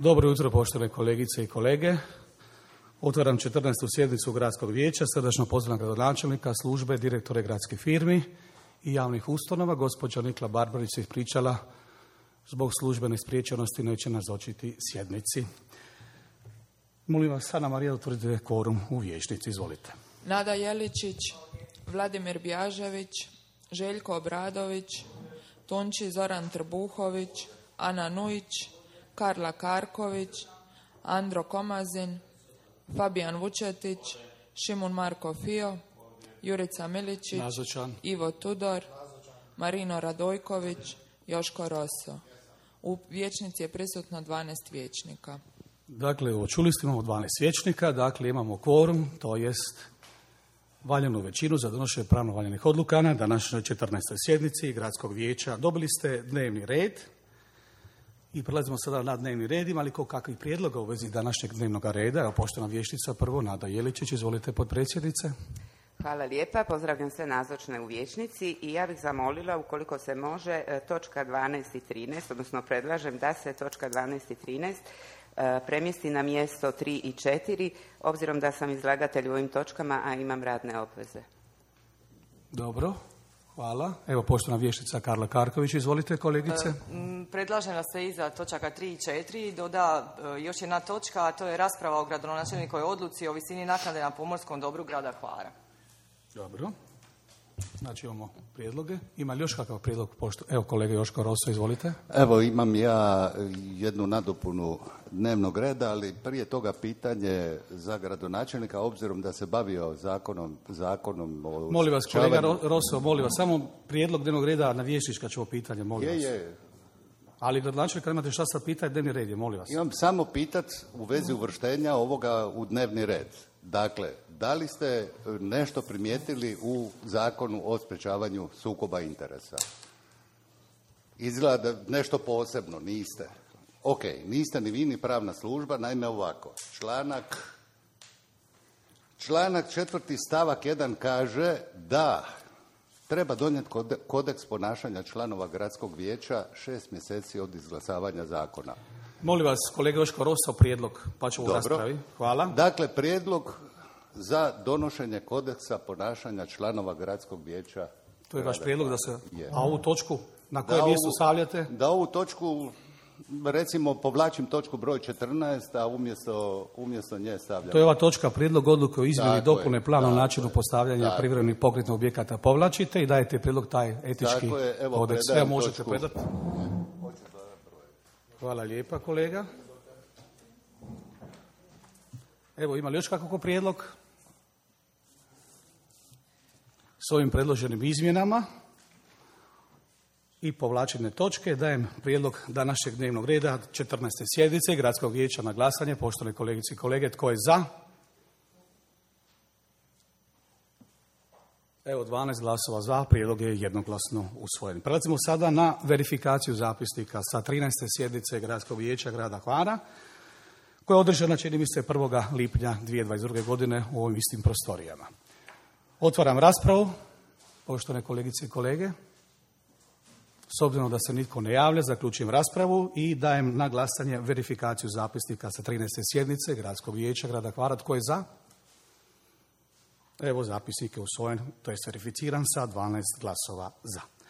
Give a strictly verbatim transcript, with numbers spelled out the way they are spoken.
Dobro jutro, poštovane kolegice i kolege. Otvaram četrnaestu sjednicu Gradskog vijeća. Srdačno pozdravljam gradonačelnika, službe, direktore gradskih firmi i javnih ustanova. Gospođa Nikla Barbarić se ispričala zbog službene spriječenosti, neće nazočiti sjednici. Molim vas, Ana Marija, utvrdite kvorum u vijećnici. Izvolite. Nada Jeličić, Vladimir Bjažević, Željko Obradović, Tonči Zoran Trbuhović, Ana Nujić, Karla Karković, Andro Komazin, Fabijan Vučetić, Šimun Marko Fio, Jurica Miličić, Nazočan. Ivo Tudor, Marino Radojković, Joško Roso. U vijećnici je prisutno dvanaest vijećnika. Dakle, evo, čuli ste, imamo dvanaest vijećnika, dakle imamo kvorum, to jest valjanu većinu za donošenje pravno valjanih odluka na današnjoj četrnaestoj sjednici Gradskog vijeća. Dobili ste dnevni red i prelazimo sada na dnevni red. Ima li ko kakvih prijedloga u vezi današnjeg dnevnog reda? Evo, poštovana vijećnica, prvo Nada Jeličić, izvolite, potpredsjednice. Hvala lijepa, pozdravljam sve nazočne u vijećnici i ja bih zamolila, ukoliko se može, točka dvanaest i trinaest, odnosno predlažem da se točka dvanaest i trinaest premjesti na mjesto tri i četiri, obzirom da sam izlagatelj u ovim točkama, a imam radne obveze. Dobro, hvala. Evo, poštovana vijećnica Karla Karković, izvolite, kolegice. E, predlažem da se iza točaka tri i četiri doda e, još jedna točka, a to je rasprava o gradonačelnikovoj odluci o visini naknade na pomorskom dobru grada Hvara. Dobro. Znači imamo prijedloge. Ima li još kakav prijedlog? Pošto... Evo, kolega Joško Roso, izvolite. Evo, imam ja jednu nadopunu dnevnog reda, ali prije toga pitanje za gradonačelnika, obzirom da se bavio zakonom... zakonom o molim vas, kolega sprečavanju... Roso, molim vas, samo prijedlog dnevnog reda na vijećnička ćemo pitanje, molim je, vas. Je, Ali gradonačelnika imate šta sad pitati, dnevni red je, molim vas. Imam samo pitat u vezi uvrštenja ovoga u dnevni red. Dakle, da li ste nešto primijetili u zakonu o sprečavanju sukoba interesa? Izgleda nešto posebno, niste. Ok, niste ni vi ni pravna služba, naime ovako. Članak, članak četvrti stavak jedan kaže da treba donijeti kodeks ponašanja članova gradskog vijeća šest mjeseci od izglasavanja zakona. Molim vas, kolega Joško Roso, prijedlog, pa ću u raspravi. Hvala. Dakle, prijedlog za donošenje kodeksa ponašanja članova gradskog vijeća. To je vaš prijedlog da se... Je. A ovu točku na koje mjestu stavljate? Da ovu točku, recimo, povlačim točku broj četrnaest, a umjesto, umjesto nje stavljam. To je ova točka, prijedlog odluke o izmjeni i dopune plana o načinu je, postavljanja privremenih pokretnih objekata povlačite i dajete prijedlog taj etički je, evo, kodeks. Sve možete točku. predati. Hvala lijepa, kolega. Evo, ima li još kakvog prijedlog? S ovim predloženim izmjenama i povlačene točke dajem prijedlog današnjeg dnevnog reda četrnaeste sjednice Gradskog vijeća na glasanje. Poštovane kolegice i kolege, tko je za? Evo, dvanaest glasova za, prijedlog je jednoglasno usvojen. Prelazimo sada na verifikaciju zapisnika sa trinaeste sjednice Gradskog vijeća grada Hvara, koja je održana, čini mi se, prvog lipnja dvije tisuće dvadeset druge. godine u ovim istim prostorijama. Otvaram raspravu, poštovane kolegice i kolege. S obzirom da se nitko ne javlja, zaključujem raspravu i dajem na glasanje verifikaciju zapisnika sa trinaeste sjednice Gradskog vijeća grada Hvara. Tko je za? Evo, zapisnik je usvojen, to je verificiran sa dvanaest glasova za.